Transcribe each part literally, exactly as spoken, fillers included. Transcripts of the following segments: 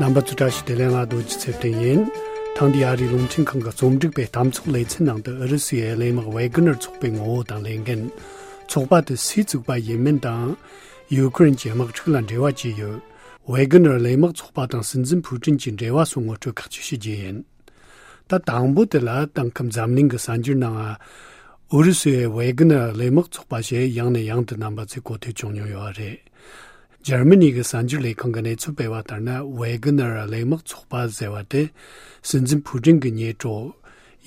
རྣམ་པ་ཚོ་བཀྲ་ཤིས་བདེ་ལེགས། ང་རྡོ་རྗེ་ཚེ་བརྟན་ཡིན། ཐེངས་འདིའི་ཨ་རིའི་རླུང་འཕྲིན་ཁང་གི་རྩོམ་སྒྲིག་པའི་གཏམ་ཚོགས་ལེ་ཚན་ནང་དུ་ཨུ་རུ་སུའི་གླས་དམག་ཝེ་གྷི་ནར་ཚོགས་པའི་ངོ་བོ་དང་ལས་འགན། ཚོགས་པ་དེ་སུས་བཙུགས་པ་ཡིན་མིན་དང་། ཡུ་ཁུ་རེན་གྱི་དམག་འཁྲུག་ལ་འབྲེལ་བ་ཅི་ཡོད། ཝེ་གྷི་ནར་གླས་དམག་ཚོགས་པ་དང་སྲིད་འཛིན་ཕུའུ་ཀྲིན་གྱི་འབྲེལ་བ་སོགས་ངོ་སྤྲོད་ཁག་ཅིག་ཞུ་རྒྱུ་ཡིན། ད་དང་པོ་དེ་ལ་དེང་སྐབས་འཛམ་གླིང་གི་གསར་འགྱུར་ནང་ཨུ་རུ་སུའི་ཝེ་གྷི་ནར་གླས་དམག་ཚོགས་པ་ཞེས་ཡང་ནས་ཡང་དུ་རྣམ་པ་ཚོས་གོ་ཐོས་བྱུང་མྱོང་ཡོད་པ་རེད། འཇར་མ་ནི་གི་གསར་འགྱུར་ལས་ཁང་གི་གནས་ཚུལ་སྤེལ་བ་ལྟར་ན། ཝེ་གྷི་ནར་གླས་དམག་ཚོགས་པ་ཟེར་བ་དེ་སྲིད་འཛིན་ཕུའུ་ཀྲིན་གྱི་ཉེ་གྲོགས་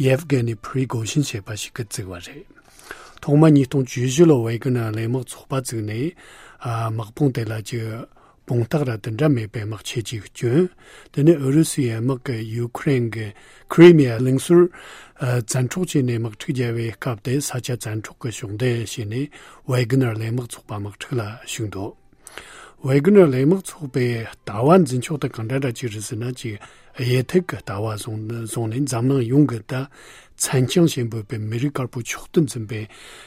ཡེབ་གྷེ་ནི་ཕི་རི་གོ་ཤིན་ཞེས་པ་ཞིག་གིས་བཙུགས་པ་རེད། ཐོག་མ་ཉིས་སྟོང་བཅུ་བཞི་ལོར་ཝེ་གྷི་ནར་གླས་དམག་ཚོགས་པ་བཙུགས་ནས། ཨ། དམག་དཔུང་དེ་ལ་ཅིག་དཔུང་རྟགས་ར་དེ་འདྲ་མེད་པའི་དམག་ཆས་ཅིག་བསྐྱོན། དེ་ནས་ཨུ་རུ་སུའི་དམག་གིས་ཡུ་ཁུ་རེན་གྱི་ཁི་རི་མི་ཡ་གླིང་ཟུར། ཨ། བཙན་འཕྲོག་བྱས་ནས་དམག་འཁྲུག་བརྒྱབ་པའི་སྐབས་དེ་ས་ཆ་བཙན་འཕྲོག་གི་ཕྱོགས་འདེད་བྱས་ནས་ཝེ་གྷི་ནར་གླས་དམག་ཚོགས་པ་དམག་འཁྲུག་ལ་ཞུགས་འདུག་ཝེ་གྷི་ནར་གླས་དམག་ཚོགས་པའི་ལྟ་བ་འཛིན་ཕྱོགས་དེ་གང་འདྲ་འདྲ་ཅིག་རེད་ཟེར་ན། ཅིག་གཡས་ཐིག་གི་ལྟ་བ་བཟུང་བཟུང་ནས་འཛམ་གླིང་ཡོངས་ཀྱི་ད་མཚན་བྱང་ཞེས་འབོད་པའི་མི་རིགས་དཀར་པོ་མཆོག་ཏུ་འཛིན་པའི་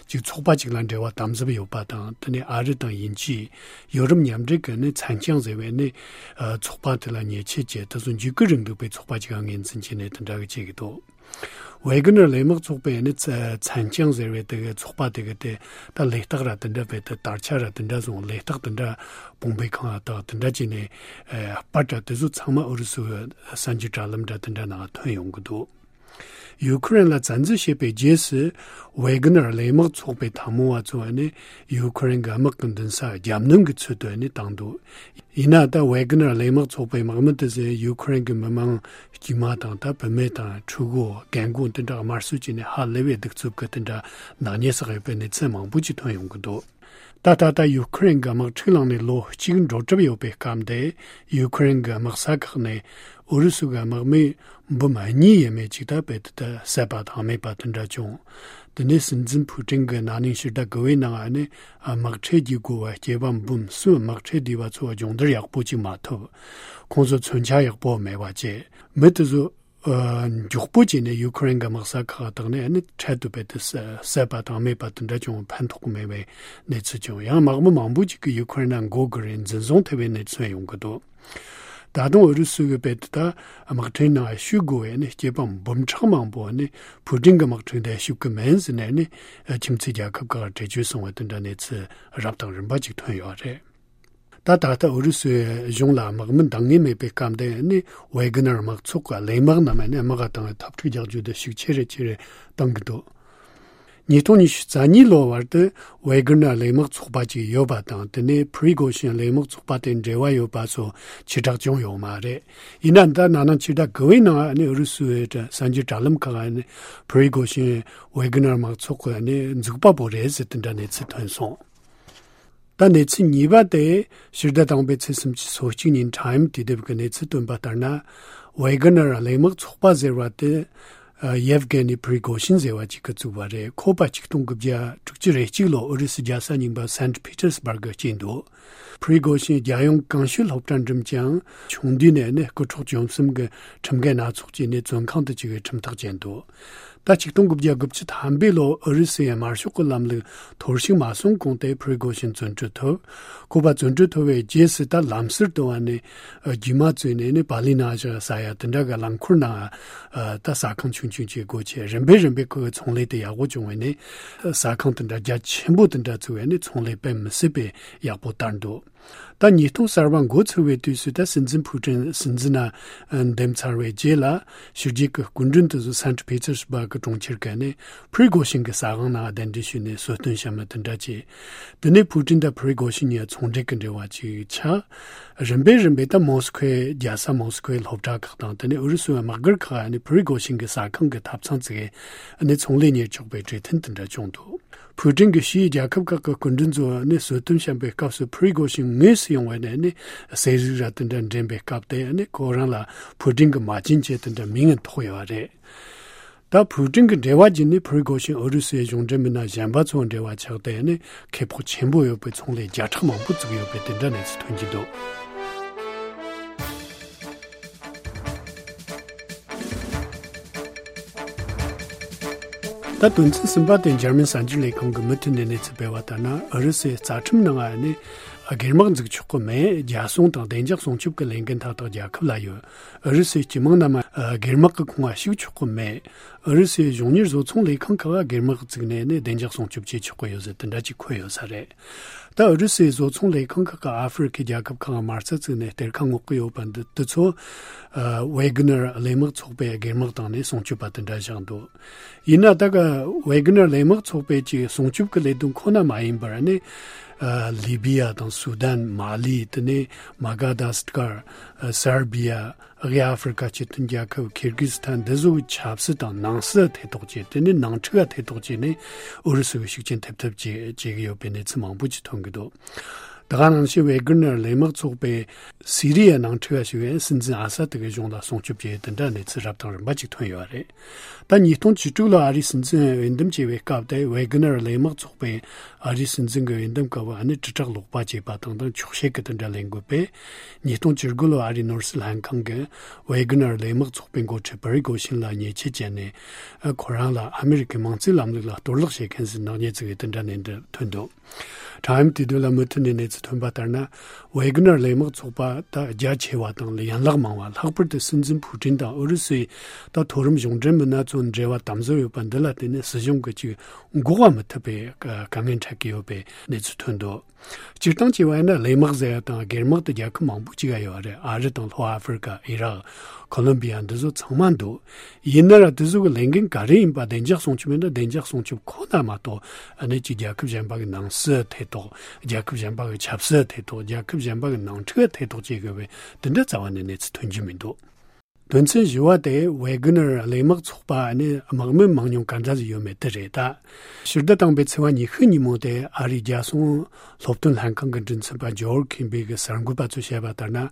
ཅིག་ཚོགས་པ་ཅིག་ལ་འབྲེལ་བ་དམ་ཟབ་ཡོད་པ་དང་། དེ་ནས་ཨ་རི་དང་དབྱིན་ཇི། ཡོ་རོབ་མཉམ་འབྲེལ་གྱི་ནི་མཚན་བྱང་ཟེར་བའི་ནི། ཨ། ཚོགས་པ་དེ་ལ་ཉེས་ཆད་བཅད། དེ་ཚོ་འཇིགས་སྐུལ་རིང་ལུགས་པའི་ཚོགས་པ་ཅིག་ངོས་འཛིན་བྱས་ནས་དེ་འདྲ་གི་བྱེད་ཀྱི་འདུག་ཝེ་གྷི་ནར་གླས་དམག་ཚོགས་པའི་ནི་ཚ- མཚན་བྱང་ཟེར་བའི་དེ་གི་ཚོགས་པ་དེ་གི་དེ་ད་ལས་རྟགས་ར་དེ་འདྲ་བས། དེ་དར་ཆ་ར་དེ་འདྲ་བཟུང་། ལས་རྟགས་དེ་འདྲ་བོང་བུའི་ཁང་ང་དག་དེ་འདྲ་བྱས་ནས། ཨ། པར་ར་དེ་ཚོ་ཚང་མ་ཨུ་རུ་སུའི་གསར་འགྱུར་དྲ་ལམ་ར་དེ་འདྲ་ནང་ཐོན་ཡོང་གི་འདུག་ཡུ་ཁུ་རེན་ལ་བཙན་འཛུལ་བྱས་པའི་རྗེས་སུ། ཝེ་གྷི་ནར་གླས་དམག་ཚོགས་པའི་འཐབ་མོ་བ་ཚོ་ནི་ཡུ་ཁུ་རེན་གྱི་དམག་གི་མདུན་སར་རྒྱབ་གནོན་གྱི་ཚུལ་དུ་ནི་བཏང་འདུག་ཡིན་ན་ད་ཝེ་གྷི་ནར་གླས་དམག་ཚོགས་པའི་དམག་མི་དེ་ཚོས་ཡུ་ཁུ་རེན་གྱི་མི་མང་དཀྱུས་མ་དང་། ད་བུད་མེད་དང་ཕྲུ་གུ། རྒན་རྒོན་དེ་འདྲ་དམར་གསོད་བྱས་ནས་ཧ་ལས་པའི་གདུག་རྩུབ་ཀྱི་དེ་འདྲ་ནག་ཉེས་བསགས་ཡོད་པའི་གནས་ཚུལ་མང་པོ་ཅིག་ཐོན་ཡོང་གི་འདུག་ད་ད་ལྟ་ཡུ་ཁུ་རེན་གྱི་དམག་འཁྲུག་ལངས་ནས་ལོ་གཅིག་འགྲོ་གྲབས་ཡོད་པའི་སྐབས་འདི། ཡུ་ཁུ་རེན་གྱི་དམག་ས་ཁག་ནས་ཨུ་རུ་སུ་གི་དམག་མི་འབུམ་གཉིས་ཡས་མས་ཅིག་ད་རྦད་དེ་ད་བསད་པ་དང་རྨས་པ་དེ་འདྲ་བྱུང་། དེ་ནས་སྲིད་འཛིན་ཕུའུ་ཀྲིན་གྱི་ན་ནིང་ཕྱི་ཟླ་དགུ་པའི་ནང་ནས། ཨ། དམག་ཁྲལ་བརྒྱབ་དགོས་པ་སྐྱེས་པ་འབུམ་གསུམ་དམག་ཁྲལ་བསྡུས་པ་ཚོ་སྦྱོང་བརྡར་ཡག་པོ་ཅིག་མ་ཐོབ། ཁོང་ཚོ་མཚོན་ཆ་ཡག་པོ་མེད་པ་བྱས། མི་དེ་ཚོ། ཨ། མགྱོགས་པོ་བྱས་ནས་ཡུ་ཁུ་རེན་གྱི་དམག་ས་ཁག་དག་ནས་ནི་འཕྲལ་དུ་རྦད་དེ་བསད་པ་དང་རྨས་པ་དེ་འདྲ་བྱུང་བ་ཕན་ཐོགས་མེད་པའི་གནས་ཚུལ་བྱུང་། ཡང་དམག་མི་མང་པོ་ཅིག་གིས་ཡུ་ཁུ་རེན་ནང་འགོ་དགོས་རེད། འཛིན་བཟུང་ཐེབས་པའི་གནས་ཚུལ་ཡོང་གི་འདུག་ད་དུང་ཨུ་རུ་སུ་གིས་རྦད་དེ་ད་དམག་ཁྲིམས་ནང་ཞུགས་དགོས་པའི་ནི་སྐྱེས་པ་འབུམ་ཕྲག་མང་པོ་ནི་ཕུའུ་ཀྲིན་གྱི་དམག་ཁྲིམས་དེ་ཞུགས་ཀྱི་མིན་ཟེར་ནས་ནི་ཁྱིམ་མཚེས་རྒྱལ་ཁབ་ཁག་འགྲེལ་བརྗོད་སོང་བ་དེ་འདྲ་གནས་ཚུལ་རབ་དང་རིམ་པ་ཅིག་ཐོན་ཡོད་རེད། ད་ད་ལྟ་ཨུ་རུ་སུའི་གཞུང་ལ་དམག་མི་འདང་ངེས་མེད་པའི་སྐབས་དེ་ནི་ཝེ་གྷི་ནར་དམག་ཚོགས་ཀྱི་གླས་དམག་རྣམས་ནི་དམག་སྒར་དང་འཐབ་འཁྲུག་རྒྱག་རྒྱུ་དེ་ཤུགས་ཆེ་རུ་ཆེ་རུ་གཏོང་གི་འདུག་ཉིས་སྟོང་ཉི་ཤུ་རྩ་གཉིས་ལོ་བར་དུ་ཝེ་གྷི་ནར་གླས་དམག་ཚོགས་པ་ཅིག་ཡོད་པ་དང་། དེ་ནས་ཕི་རི་གོ་ཤིན་གླས་དམག་ཚོགས་པ་དེ་འབྲེལ་བ་ཡོད་པ་སོགས་ཕྱིར་བསྒྲགས་བྱུང་ཡོད་མ་རེད། ཡིན་ན་ད་ན་ནིང་ཕྱི་ཟླ་དགུ་པའི་ནང་ནི་ཨུ་རུ་སུའི་གསར་འགྱུར་དྲ་ལམ་ཁག་ནས་ཕི་རི་གོ་ཤིན་ཝེ་གྷི་ནར་དམག་ཚོགས་ཀྱི་ནི་འཛུགས་པ་པོ་རེད་ཟེར་དེ་འདྲ་གནས་ཚུལ་ཐོན་སོང་། ད་གནས་ཚུལ་གཉིས་པ་དེ། ཕྱི་ཟླ་དང་པོའི་ཚེས་སུམ་ཅུ་སོ་གཅིག་ཉིན་ཊའིམ་དུས་དེབ་ཀྱི་གནས་ཚུལ་བཏོན་པ་ལྟར་ན། ཝེ་གྷི་ནར་གླས་དམག་ཚོགས་པ་ཟེར་བ་དེ། ཨ། ཡེབ་གྷེ་ནི་ཕི་རི་གོ་ཤིན་ཟེར་བ་ཅིག་གིས་བཙུགས་པ་རེད། ཁོ་པ་ཆིག་སྟོང་དགུ་བརྒྱ་དྲུག་ཅུ་རེ་གཅིག་ལོར་ཨུ་རུ་སུའི་རྒྱལ་ས་རྙིང་པ་སན་ཊི་ཕི་ཏེར་སི་བྷར་གི་སྐྱེས་འདུག་ཕི་རི་གོ་ཤིན་རྒྱལ་ཡོངས་གངས་ཤུད་སློབ་གྲྭ་འགྲིམས་ཀྱང་། ཆུང་དུས་ནས་ནི་རྐུ་འཕྲོག་བཅོམ་གསུམ་གྱི་ཁྲིམས་འགལ་སྣ་ཚོགས་བྱས་ནས་བཙོན་ཁང་དུ་བཅུག་པའི་ཁྲིམས་ཐག་བཅད་འདུག་ད་ཆིག་སྟོང་དགུ་བརྒྱ་དགུ་བཅུ་ཐམ་པའི་ལོར་ཨུ་རུ་སུའི་དམར་ཤོག་གི་ལམ་ལུགས་འཐོར་ཞིག་མ་སོང་གོང་དེ་ཕི་རི་གོ་ཤིན་བཙོན་གྲོལ་ཐོབ། ཁོ་པ་བཙོན་གྲོལ་ཐོབ་པའི་རྗེས་སུ་ད་ལམ་ཟུར་དུ་བ་ནས་རྒྱུས་མ་བཙུགས་ནས་ནི་པ་ལི་ན་ཞིག་ཟེར་ཡ་དེ་འདྲ་གི་རླངས་འཁོར་ནང་ད་ཟ་ཁང་ཆུང་ཆུང་ཅིག་སྒོ་ཕྱེ། རིམ་པས་རིམ་པས་ཁོའི་ཚོང་ལས་དེ་ཡག་པོ་བྱུང་བས་ནི་ཟ་ཁང་དེ་འདྲ་རྒྱ་ཆེན་པོ་དེ་འདྲ་བཙུགས་བས་ནི་ཚོང་ལས་དཔེ་མི་སྲིད་པའི་ཡག་པོ་དར་འདུག་ད་ཉིས་སྟོང་གསར་པ་འགོ་ཚུགས་པའི་དུས་སུ་ད་སྲིད་འཛིན་ཕུའུ་ཀྲིན་སྲིད་འཛིན་ན་འདེམས་ཚར་བའི་རྗེས་ལ། ཕྱི་རྒྱལ་གྱི་སྐུ་མགྲོན་དེ་ཚོ་སན་ཊི་ཕི་ཏེར་སི་བྷར་གྱི་གྲོང་ཁྱེར་གྱི་ནས་ཕི་རི་གོ་ཤིན་གྱི་ཟ་ཁང་ནང་གདན་འདྲེན་ཞུས་ནས་གསོལ་སྟོན་བཤམས་པ་དེ་འདྲ་བྱས། དེ་ནས་ཕུའུ་ཀྲིན་དང་ཕི་རི་གོ་ཤིན་གཉིས་ཚོང་འབྲེལ་གྱི་འབྲེལ་བ་ཅིག་ཆགས། རིམ་པས་རིམ་པས་ད་མོ་སི་ཁོའི་རྒྱལ་ས་མོ་སི་ཁོའི་སློབ་གྲྭ་ཁག་དང་། དེ་ནས་ཨུ་རུ་སུའི་དམག་སྒར་ཁག་ནས་ཕི་རི་གོ་ཤིན་གྱི་ཟ་ཁང་གི་ཐབ་ཚང་བཙུགས། ནས་ཚོང་ལས་གཉེར་ཆོག་པའི་གྲོས་མཐུན་དེ་འདྲ་བྱུང་འདུག་ཕུའུ་ཀྲིན་གྱིས་ཕྱིའི་རྒྱལ་ཁབ་ཁག་གི་སྐུ་མགྲོན་ཚོ་ནས་གསོལ་སྟོན་བཤམས་པའི་སྐབས་སུ་ཕི་རི་གོ་ཤིན་དངོས་སུ་ཡོང་བ་ནས་ནི་ཟས་རིགས་ར་དེ་འདྲ་འདྲེན་པའི་སྐབས་དེ་ནི་ཁོ་རང་ལ་ཕུའུ་ཀྲིན་གྱི་མ་བྱན་ཅན་དེ་འདྲ་མིང་ཐོགས་ཡོད་པ་རེད། ད་ཕུའུ་ཀྲིན་གྱི་འབྲེལ་བ་བརྒྱུད་ནས་ཕི་རི་གོ་ཤིན་ཨུ་རུ་སུའི་གཞུང་འབྲེལ་མི་སྣ་གཞན་པ་ཚོའི་འབྲེལ་བ་ཆགས་ཏེ་ནི་ཁེ་སྤོགས་ཆེན་པོ་ཡོད་པའི་ཚོང་ལས་བརྒྱ་ཕྲག་མང་པོ་བཙུགས་ཡོད་པའི་དེ་འདྲ་གནས་ཚུལ་ཐོན་གྱི་འདུག་ད་དོན་ཚན་གསུམ་པ་དེ་འཇར་མན་གསར་འགྱུར་ལས་ཁང་གི་མུ་མཐུད་ནས་གནས་ཚུལ་སྤེལ་བ་ལྟར་ན། ཨུ་རུ་སུའི་རྩ་ཁྲིམས་ནང་ནས་ སྒེར་དམག་འཛུགས་ཆོག་གི་མེད། རྒྱལ་སྲུང་དང་བདེ་འཇགས་སྲུང་སྐྱོབ་ཀྱི་ལས་འགན་མཐའ་དག་རྒྱལ་ཁབ་ལ་ཡོད། ཨུ་རུ་སུའི་སྤྱི་དམངས་རྣམས་སྒེར་དམག་གི་ཁོངས་ལ་ཞུགས་ཆོག་གི་མེད། ཨུ་རུ་སུའི་གཞུང་གཉེར་བཟོ་ཚོང་ལས་ཁང་ཁག་ལ་སྒེར་དམག་བཙུགས་ནས་ནི་བདེ་འཇགས་སྲུང་སྐྱོབ་བྱེད་ཆོག་གི་ཡོད་ཟེར་དེ་འདྲ་ཅིག་འཁོད་ཡོད་ས་རེད། ད་ཨུ་རུ་སུའི་བཟོ་ཚོང་ལས་ཁང་ཁག་གིས་ཨ་ཧྥེ་རི་ཁའི་རྒྱལ་ཁབ་ཁག་མ་རྩ་བཙུགས་ནས་གཏེར་ཁ་སྔོག་གི་ཡོད་པ་འདི་འདི་ཚོ་ཝེ་གྷི་ནར་གླས་དམག་ཚོགས་པའི་སྒེར་དམག་བཏང་ནས་སྲུང་སྐྱོབ་པ་དེ་འདྲ་བཞག་འདུག་ཡིན་ན་ད་ག་ཝེ་གྷི་ནར་གླས་དམག་ཚོགས་པའི་ཅིག་སྲུང་སྐྱོབ་ཀྱི་ལས་དོན་ཁོ་ན་མ་ཡིན་པར་ནི་ལི་བི་ཡ་དང་སུ་དན། མ་ལི། དེ་ནས་མ་ག་དཱ་སི་ཀར། སར་བི་ཡ། དབུས་ཨ་ཧྥེ་རི་ཁ་སྤྱི་མཐུན་རྒྱལ་ཁབ། ཁིར་གིས་སི་ཐན། འདི་ཚོ་གི་ཆབ་སྲིད་དང་ནང་སྲིད་ཐེ་གཏོགས་བྱས། དེ་ནས་ནང་འཁྲུག་ཐེ་གཏོགས་བྱས་ནས་ཨུ་རུ་སུ་གི་ཤུགས་རྐྱེན་ཐེབས་ཐབས་བྱེད་བྱེད་ཀྱི་ཡོད་པའི་གནས་ཚུལ་མང་པོ་ཅིག་ཐོན་གྱི་འདུག་ད་ག་ནང་བཞིན་ཝེ་གྷི་ནར་གླས་དམག་ཚོགས་པས་སི་རི་ཡའི་ནང་འཁྲུག་ཞུགས་པའི་སྲིད་འཛིན་ཨ་ས་ཏི་གི་གཞུང་ལ་སྲུང་སྐྱོབ་བྱས་དེ་འདྲ་གནས་ཚུལ་རབ་དང་རིམ་པ་ཅིག་ཐོན་ཡོད་རེད། ད་ཉིས་སྟོང་བཅུ་དྲུག་ལོ་ཨ་རིའི་སྲིད་འཛིན་འོས་འདེམས་བྱས་པའི་སྐབས་དེ་ཝེ་གྷི་ནར་གླས་དམག་ཚོགས་པས་ཨ་རིའི་སྲིད་འཛིན་གྱི་འོས་འདེམས་སྐབས་ཨ་ནི་དྲིལ་བསྒྲགས་ལོག་པ་བྱས་པ་དང་དང་འཁྱོག་བཤད་ཀྱི་དེ་འདྲ་ལས་འགུལ་སྤེལ། ཉིས་སྟོང་བཅུ་དགུ་ལོ་ཨ་རིའི་ནོར་སྲིད་ལྷན་ཁང་གིས་ཝེ་གྷི་ནར་གླས་དམག་ཚོགས་པའི་འགོ་ཁྲིད་པི་རི་གོ་ཤིན་ལ་ཉེས་ཆད་བཅད་ནས་ཁོ་རང་ལ་ཨ་མི་རི་ཀའི་མིང་རྩིས་ལམ་ལུགས་ལ་གཏོར་བརླག་བྱེད་མཁན་ཟེར་ནག་ཉེས་བཙུགས་ཡོད་དེ་འདྲ་ནས་འདི་ཐོན་འདུག་ཁྲའིམ་དེ་དུས་ལ་མུ་མཐུད་ནས་གནས་ཚུལ་ཐོན་པ་ལྟར་ན། ཝེ་གྷི་ནར་གླས་དམག་ཚོགས་པ་ད་རྒྱ་ཆེ་བ་དང་ཡན་ལག་མང་བ། ལྷག་པར་དུ་སྲིད་འཛིན་ཕུ་ཀྲིན་དང་ཨུ་རུ་སུའི་ད་མཐོ་རིམ་གཞུང་འབྲེལ་མི་སྣ་ཚོ་འབྲེལ་བ་དམ་ཟབ་ཡོད་པ་འདི་ལ་བརྟེན་ནས་སྲིད་གཞུང་གིས་ཅིག་འགོག་པ་མི་ཐུབ་པའི་དཀའ་ངལ་འཕྲད་ཀྱི་ཡོད་པའི་གནས་ཚུལ་ཐོན་འདུག་སྤྱིར་བཏང་བྱས་པ་ཡིན་ན་གླས་དམག་ཟེར་ཡ་དང་སྒེར་དམག་དེ་རྒྱལ་ཁབ་མང་པོ་ཅིག་ཡོད་རེད། ཨ་རི་དང་ལྷོ་ཨ་ཧྥེ་རི་ཀ། ཨི་རག། ཁོ་ལོམ་བི་ཡ། འདི་ཚོ་ཚང་མ་འདུག་ཡིན་ན་ར་དེ་ཚོ་གི་ལས་འགན་ག་རེ་ཡིན་པ། བདེ་འཇགས་སྲུང་སྐྱོབ་ཡིན་ན་བདེ་འཇགས་སྲུང་སྐྱོབ་ཁོ་ན་མ་གཏོགས། ཨ་ནི་ཅིག་རྒྱལ་ཁབ་གཞན་པ་གི་ནང་སྲིད་ཐེ་གཏོགས། རྒྱལ་ཁབ་གཞན་པ་གི་ཆབ་སྲིད་ཐེ་གཏོགས། རྒྱལ་ཁབ་གཞན་པ་གི་ནང་འཁྲུག་ཐེ་གཏོགས་བྱེད་དགོས་པའི་དེ་འདྲ་རྩ་བ་ནས་གནས་ཚུལ་ཐོན་རྒྱུ་མི་འདུག་དོན་ཚན་བཞི་བ་དེ་ཝེ་གྷི་ནར་གླས་དམག་ཚོགས་པ་ནི་དམག་མི་མང་ཉུང་ག་འདྲ་ཞིག་ཡོད་མེད་དེ་རེད། ད་ཕྱི་ཟླ་དང་པོའི་ཚེས་པ་ཉི་ཤུ་ཉིན་མོ་དེ་ཨ་རིའི་རྒྱལ་སྲུང་སློབ་སྟོན་ལྷན་ཁང་གི་མགྲིན་ཚབ་པ་ཇོར་ཁིན་བི་གིས་གསར་འགོད་པ་ཚོར་བཤད་པ་ལྟར་ན།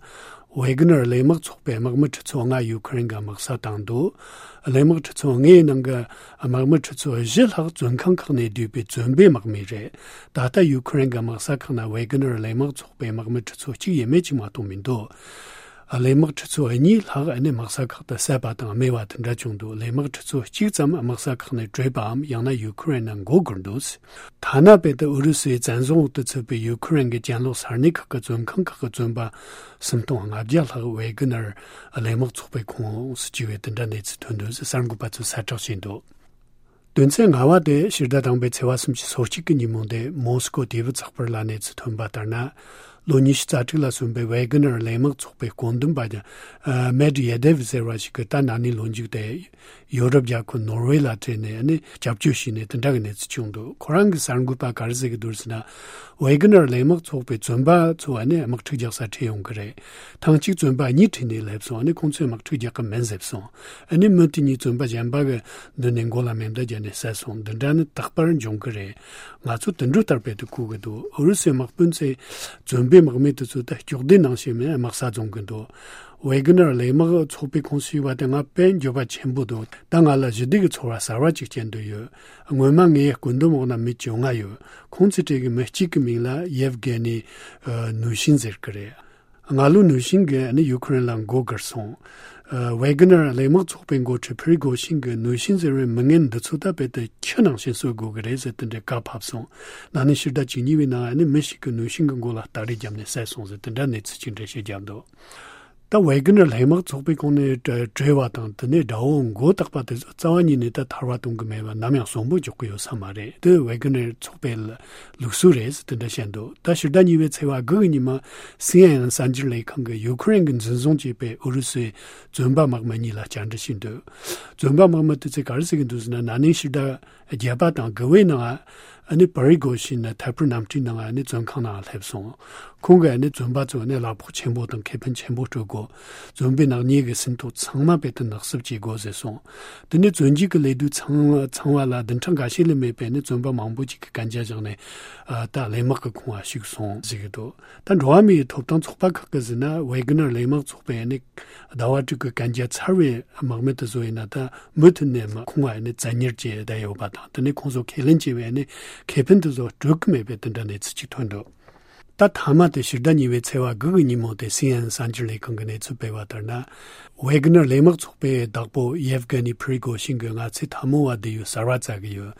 ཝེ་གྷི་ནར་གླས་དམག་ཚོགས་པའི་དམག་མི་ཁྲི་ཚོ་ལྔ་ཡུ་ཁུ་རེན་གྱིས་དམག་ས་བཏང་འདུག་གླས་དམག་ཁྲི་ཚོ་ལྔའི་ནང་གི་དམག་མི་ཁྲི་ཚོ་བཞི་ལྷག་བཙོན་ཁང་ཁག་ནས་བསྡུས་པའི་བཙོན་པའི་དམག་མི་རེད། ད་ལྟ་ཡུ་ཁུ་རེན་གྱི་དམག་ས་ཁག་ན་ཝེ་གྷི་ནར་གླས་དམག་ཚོགས་པའི་དམག་མི་ཁྲི་ཚོ་གཅིག་ཡས་མས་གཅིག་མ་གཏོགས་མི་འདུག་གླས་དམག་ཁྲི་ཚོ་གཉིས་ལྷག་ནི་དམག་ས་ཁག་ཏུ་བསད་པ་དང་རྨས་པ་དེ་འདྲ་བྱུང་འདུག་གླས་དམག་ཁྲི་ཚོ་གཅིག་ཙམ་དམག་ས་ཁག་ནས་བྲོས་པའམ་ཡང་ན་ཡུ་ཁུ་རེན་ནང་འགོ་དགོས་འདུག་ཐ་ན་དཔེ་དེ་ཨུ་རུ་སུའི་བཙན་བཟུང་འོག་ཏུ་ཚུད་པའི་ཡུ་ཁུ་རེན་གྱི་གྱེན་ལོག་ས་གནས་ཁག་གི་བཙོན་ཁང་ཁག་གི་བཙོན་པ་སུམ་སྟོང་ལྔ་བརྒྱ་ལྷག་ཝེ་གྷི་ནར་གླས་དམག་ཚོགས་པའི་ཁོངས་སུ་བཅུག་པའི་དེ་འདྲ་གནས་ཚུལ་ཐོན་འདུག་ཟེར་གསར་འགོད་པ་ཚོས་གསལ་བསྒྲགས་བྱས་འདུག་དོན་ཚན་ལྔ་བ་དེ་ཕྱི་ཟླ་དང་པོའི་ཚེས་པ་སུམ་ཅུ་སོ་གཅིག་གི་ཉིན་མོ་དེ་མོ་སི་ཀོ་དེ་བུ་ཚགས་པར་ལ་གནས་ཚུལ་ཐོན་པ་ལྟར་ན། ལོ་ཉི་ཤུ་རྩ་དྲུག་ལ་སོན་པའི་ཝེ་གྷི་ནར་གླས་དམག་ཚོགས་པའི་བཀོད་འདོམས་པ་མེ་ཏི་ཡེ་དེ་བི་ཟེར་བ་ཞིག་གིས་ད་ན་ནིང་ལོ་མཇུག་དེ་ཡོ་རོབ་རྒྱལ་ཁབ་ནོར་ཝེ་ལ་བྲོས་ནས་ནི་སྐྱབས་བཅོལ་ཞུས་ནས་དེ་འདྲ་གི་གནས་ཚུལ་བྱུང་འདུག་ཁོ་རང་གི་གསར་འགོད་པ་ག་རེ་ཟེར་གི་འདུག་ཟེར་ན། ཝེ་གྷི་ནར་གླས་དམག་ཚོགས་པའི་བཙོན་པ་ཚོ་ནི་དམག་འཁྲུག་རྒྱག་ས་ཁྲིད་ཡོང་གི་རེད། ཐེངས་གཅིག་བཙོན་པ་གཉིས་ཁྲིད་ནས་སླེབས་སོང་། ཨ་ནི་ཁོང་ཚོས་དམག་འཁྲུག་རྒྱག་གི་མིན་ཟེར་སོང་། ཨ་ནི་མི་དེ་གཉིས་བཙོན་པ་གཞན་པ་གི་མདུན་ནས་མགོ་ལ་མེ་མདའ་བརྒྱབ་ནས་བསད་སོང་། འདི་འདྲ་ནི་རྟག་པར་འབྱུང་གི་རེད། ང་ཚོ་དུད་འགྲོ་ལྟར་དཔེ་དེ་བཀུག་གི་འདུག་ཨུ་རུ་སུའི་དམག་དཔོན་ཚོས་བཙོན་པའི་དམག་མི་དེ་ཚོ་ད་སྐྱོག་ལྡེ་ནང་བཞིན་མིན་དམག་ས་རྫོང་གི་འདུག་ཝེ་གྷི་ནར་གླས་དམག་ཚོགས་པའི་ཁོངས་སུ་ཞུགས་པ་དེ་ང་དཔེ་འགྱོད་པ་ཆེན་པོ་འདུག་ད་ང་ལ་ཞི་བདེ་གི་ཚོར་བ་གསར་བ་ཅིག་སྐྱེ་འདོད་ཡོད། སྔོན་མ་ངའི་བཀོད་འདོམས་འོག་ན་མི་བཅོ་ལྔ་ཡོད། ཁོང་ཚོའི་གྲས་ཀྱི་མི་གཅིག་གི་མིང་ལ་ཡེབ་གྷེ་ནི་ནུ་ཤིན་ཟེར་གི་རེད། སྔ་ལོ་ནུ་ཤིན་གྱིས་ནི་ཡུ་ཁུ་རེན་ལ་མགོ་སྒུར་སོང་། ཝེ་གྷི་ནར་གླས་དམག་ཚོགས་པའི་འགོ་ཁྲིད་ཕི་རི་གོ་ཤིན་གྱིས་ནུ་ཤིན་ཟེར་བའི་མི་ངན་འདི་ཚོ་ད་དཔེ་དེ་ཁྱི་ནང་བཞིན་གསོད་དགོས་ཀྱི་རེད་ཟེར་དེ་འདྲའི་བཀའ་ཕབ་སོང་། ན་ནིང་ཕྱི་ཟླ་བཅུ་གཉིས་པའི་ནང་ནི་མི་ཞིག་གིས་ནུ་ཤིན་གྱི་མགོ་ལ་སྟ་རེ་བརྒྱབ་ནས་བསད་སོང་ཟེར་དེ་འདྲ་གནས་ཚུལ་ཅིག་འགྲེལ་བཤད་བརྒྱབ་འདུག་ད་ཝེ་གྷི་ནར་གླས་དམག་ཚོགས་པའི་ཁོངས་ནས་བྲོས་པ་དང་དེ་ནས་དགྲ་བོ་མགོ་བཏགས་པ་དེ་ཚོ་རྩ་བ་ཉིད་ནས་ད་ཐར་བ་གཏོང་གི་མེད་པ་ནམ་ཡང་གསོན་པོ་འཇོག་གི་ཡོད་ས་མ་རེད། དེ་ཝེ་གྷི་ནར་ཚོགས་པའི་ལུགས་སྲོལ་རེད་ཟེར་དེ་འདྲ་བཤད་འདུག་ད་ཕྱི་ཟླ་གཉིས་པའི་ཚེས་པ་དགུ་གི་ཉིན་མ་སི་ཨེན་ཨེན་གསར་འགྱུར་ལས་ཁང་གིས་ཡུ་ཁུ་རེན་གྱིས་འཛིན་བཟུང་བྱས་པའི་ཨུ་རུ་སུའི་བཙོན་པ་དམག་མི་གཉིས་ལ་བཅར་འདྲི་བྱས་འདུག་བཙོན་པ་དམག་མི་དེ་ཚོས་ག་རེ་ཟེར་གྱི་འདུག་ཟེར་ན། ན་ནིང་ཕྱི་ཟླ་བརྒྱད་པ་དང་དགུ་པའི་ནང་ཨ་ནི་པ་རི་གོ་ཤིན་ནི་ཐད་འཕུར་གནམ་གྲུའི་ནང་ཨ་ནི་བཙོན་ཁང་ནང་སླེབས་སོང་། ཁོང་གིས་ཨ་ནི་བཙོན་པ་ཚོ་ནི་གླ་ཕོགས་ཆེན་པོ་དང་ཁེ་ཕན་ཆེན་པོ་སྤྲོད་དགོས། བཙོན་པའི་ནག་ཉེས་ཀྱི་ཟིན་ཐོ་ཚང་མ་དཔེ་དེ་ནག་བསུབ་བྱེད་དགོས་ཟེར་སོང་། དེ་ནས་བཙོན་འཇུག་གི་ལས་དུས་ཚང་ཚང་བ་ལ་བདུན་ཕྲག་འགའ་ཤས་ལས་མེད་པའི་ནི་བཙོན་པ་མང་པོ་ཅིག་གིས་གན་རྒྱ་བཞག་ནས་ཨ་ད་གླས་དམག་གི་ཁོངས་ལ་ཞུགས་སོང་ཟེར་གྱི་འདུག་ད་འགྲོ་བ་མིའི་ཐོབ་ཐང་ཚོགས་པ་ཁག་གིས་ཟེར་ན། ཝེ་གྷི་ནར་གླས་དམག་ཚོགས་པས་ནི་ཟླ་བ་དྲུག་གི་གན་རྒྱ་ཚར་བའི་དམག་མི་དེ་ཚོ་ཡིན་ན་ད་མུ་མཐུད་ནས་ཁོང་ལ་ནི་བཙན་ཉར་བྱས་བསྡད་ཡོད་པ་དང་། དེ་ནས་ཁོང་ཚོ་ཁས་ལེན་བྱས་པའི་ནི་ཁེ་ཕན་དེ་ཚོ་སྤྲོད་ཀྱི་མེད་པའི་དེ་འདྲ་གནས་ཚུལ་ཅིག་ཐོན་འདུག་ད་མཐའ་མ་དེ་ཕྱི་ཟླ་གཉིས་པའི་ཚེས་པ་དགུ་གི་ཉིན་མོ་དེ་སི་ཨེན་ཨེན་གསར་འགྱུར་ལས་ཁང་གིས་གནས་ཚུལ་སྤེལ་བ་ལྟར་ན། ཝེ་གྷི་ནར་གླས་དམག་ཚོགས་པའི་བདག་པོ་ཡེབ་གྷ་ནི་ཕི་རི་གོ་ཤིན་གྱིས་ང་ཚོས་འཐབ་མོ་བ་དེ་ཡོད་གསར་བ་བཙལ་གི་ཡོད།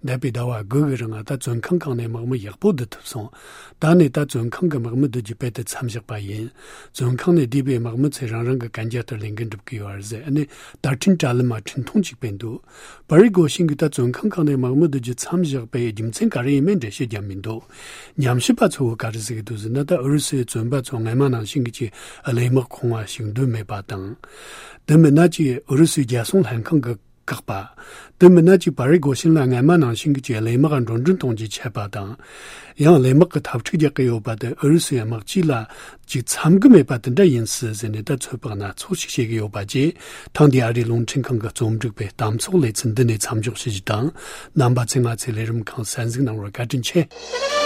འདས་པའི་ཟླ་བ་དགུ་གི་རིང་ང་ད་བཙོན་ཁང་ཁག་ནས་དམག་མི་ཡག་པོ་བསྡུ་ཐུབ་སོང་། ད་ནས་ད་བཙོན་ཁང་གི་དམག་མི་བསྡུ་རྒྱུ་དཔེ་དེ་མཚམས་བཞག་པ་ཡིན། བཙོན་ཁང་ནས་བསྡུས་པའི་དམག་མི་ཚོས་རང་རང་གི་གན་རྒྱ་ལྟར་ལས་འགན་སྒྲུབ་ཀྱི་ཡོད་རེད་ཟེར། ཨ་ནི་བརྡ་འཕྲིན་དྲ་ལམ་མ་འཕྲིན་ཐུང་གཅིག་སྤེལ་འདུག་ཕི་རི་གོ་ཤིན་གྱིས་ད་བཙོན་ཁང་ཁག་ནས་དམག་མི་བསྡུ་རྒྱུ་མཚམས་བཞག་པའི་རྒྱུ་མཚན་ག་རེ་ཡིན་མིན་འགྲེལ་བཤད་བརྒྱབ་མི་འདུག་ཉམས་ཞིབ་པ་ཚོས་ག་རེ་ཟེར་གྱི་འདུག་ཟེར་ན། ད་ཨུ་རུ་སུའི་བཙོན་པ་ཚོ་སྔ་མ་ནང་བཞིན་གྱི་གླས་དམག་ཁོངས་བ་ཞིག་འདོད་མེད་པ་དང་། དེ་མིན་ན་ཅིག་ཨུ་རུ་སུའི་རྒྱལ་སྲུང་ལྷན་ཁང་གིས་བཀག་པ། དེ་མིན་ན་ཅིག་ཕི་རི་གོ་ཤིན་ལ་སྔ་མ་ནང་བཞིན་གྱི་གླས་དམག་འགྲོ་གྲོན་གཏོང་རྒྱུའི་ཆད་པ་དང་། ཡང་གླས་དམག་གི་འཐབ་འཁྲུག་རྒྱག་གི་ཡོད་པ་དེ་ཨུ་རུ་སུའི་དམག་སྤྱི་ལ་ཅིག་འཚམ་གི་མེད་པ་དེ་འདྲ་ཡིན་སྲིད་ཟེར་ནས་ད་ཚོད་དཔག་སྣ་ཚོགས་ཤིག་བྱེད་ཀྱི་ཡོད་པ་བཅས། ཐེངས་འདིའི་ཨ་རིའི་རླུང་འཕྲིན་ཁང་གི་རྩོམ་སྒྲིག་པའི་གཏམ་ཚོགས་ལེ་ཚན་འདི་ནས་མཚམས་འཇོག་ཞུ་རྒྱུ་དང་། རྣམ་པ་ཚོས་ང་ཚོའི་ལས་རིམ་ཁག་གསན་གཟིགས་གནང་བར་བཀའ་དྲིན་ཆེ།